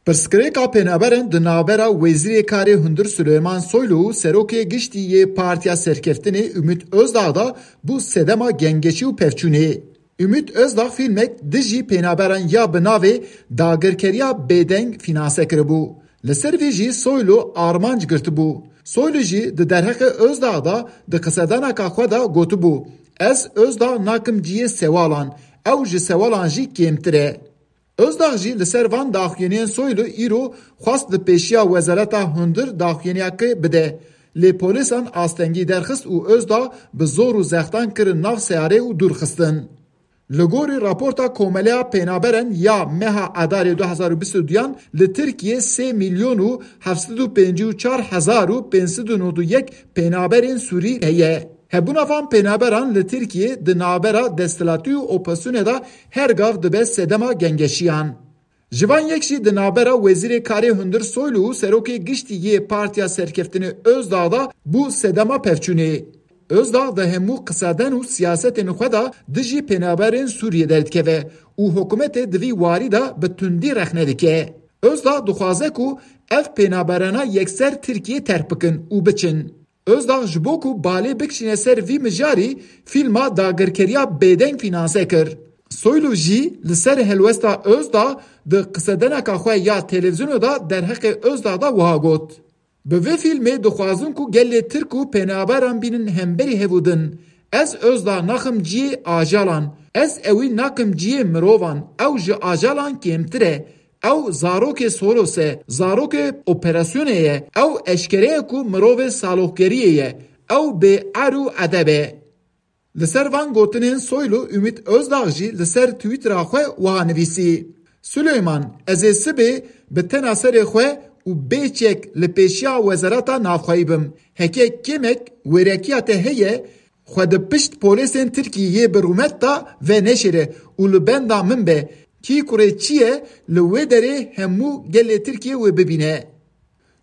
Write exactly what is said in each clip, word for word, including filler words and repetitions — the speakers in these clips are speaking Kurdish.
Pirsgirêka pênaberan di navbera Wezîrê Karê Hundir Suleyman Soylu û Serokê Giştî yê Partiya Serkeftinê Ümit Özdağ de bû sedema gengeşî û pevçûnê. Ümit Özdağ fîlmek dijî pênaberan ya bi navê Dagirkeriya Bêdeng fînanse kiribû. Li ser vê jî Soylu armanc girtibû. Soylu jî di derheqê Özdağ de di qisedaneka xwe de gotibû, Ez Özdağ nakim cihê sewalan, ew ji sewalan jî kêmtir e. Özdağ jî li ser van daxuyaniyên Soylu îro xwest di pêşiya Wezareta Hundir daxuyaniyekê bide. Lê polîsan astengî derxist û Özdağ bi zor û zextan kirin nav seyarê û dûr xistin. Li gorî raporta Komeleya Pênaberan ya meha Adarê du hezar û bîst û duyan li Tirkiyê sê milyon û heft sed û pêncî û çar hezar û pênc sed û nod û yek pênaberên Sûrî heye. Hebûna van pênaberan li Tirkiyê di navbera desthilatî û opozisyonê de her gav dibe sedema gengeşiyan. Ji van yek jî di navbera Wezîrê Karê Hundir Soylu û Serokê Giştî yê Partiya Serkeftinê Özdağ de bû sedema pevçûnê. Özdağ di hemû qiseden û siyasetên xwe de dijî pênaberên Sûriyê derdikeve û hikûmetê di vî warî de bi tundî rexne dike. Özdağ dixwaze ku ev pênaberana yekser Tirkiyê terk bikin û biçin. Özdağ ji bo ku balê bikişîne ser vî mijarî fîlma Dagirkeriya Bêdeng fînanse kir. Soylu jî li ser helwesta Özdağ di qisedeneka xwe ya televîzyonê de derheqê Özdağ de wiha got, Bi vê fîlmê dixwazin ku gelê Tirk û pênaberan bînin hemberî hev û din. Ez Özdağ naxim cihê ajalan. Ez ewî nakim cihê mirovan. Ew ji ajalan kêmtir e. Ew zarokê Soros e, zarokê operasyonê ye. Ew eşkere ye ku mirovê saloxgeriyê ye. Ew bê er û edeb e. Li ser van gotinên Soylu Ümit Özdağ jî li ser Twittera xwe wiha nivîsî, Suleyman, ez ê sibê bi tena serê xwe û bê çek li pêşiya Wezareta Navxweyî bim. Heke kêmek wêrekiya te heye, xwe di pişt polêsên Tirkiyê yê bi rûmet de veneşêre û li benda min be. Kî kurê çi ye, li wê derê hemû gelê Tirkiyê wê bibîne.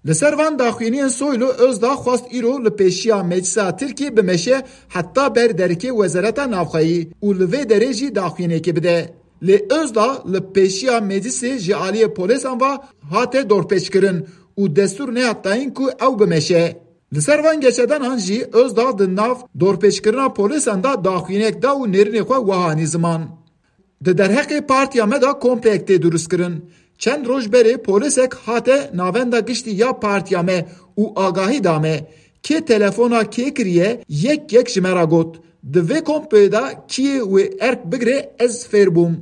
Li ser van daxuyaniyên Soylu Özdağ xwest îro li pêşiya Meclisa Tirkiyê bimeşe heta ber derikê Wezareta Navxweyî û li vê derê jî daxuyaniyekê bide. Lê Özdağ li pêşiya Meclisê ji aliyê polêsan ve hate dorpêçkirin û destûr nehat dayîn ku ew bimeşe. Li ser van geşedanan jî Özdağ di nav dorpêçkirina polêsan de daxuyaniyek da û nêrînê xwe wiha anî ziman, Di derheqê partiya me de kompleyek tê dirustkirin. Çend roj berê polîsek hate navenda giştî ya partiya me û agahî da me. Kê telefona kê kiriye, yek yek ji me re got, Di vê komployê de kî yê wê erk bigire, ez fêr bûm.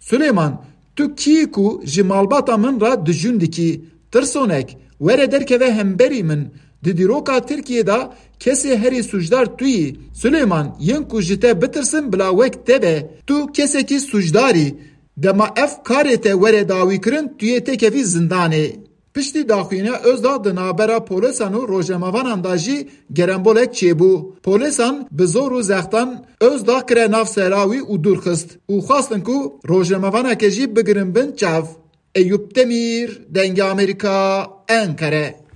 Suleyman, tu kî yî ku ji malbata min re dijûn dikî? Tirsonek, were derkeve hemberî min. Di dîroka Tirkiyê de kesê herî sûcdar tu yî. Suleyman, yên ku ji te bitirsin bila wek te be. Tu kesekî sûcdar î. Dema ev karê te were dawîkirin, tu yê têkevî zindanê. Piştî daxuyaniya Özdağ di navbera polîsan û rojnamevanan de jî gerembolek çêbû. Polîsan bi zor û zextan Özdağ kire nav sera wî û dûr xist û xwestin ku rojnamevaneke jî bigirin bin çav. Eyûp Demîr, Dengê Amerîka, Enqere.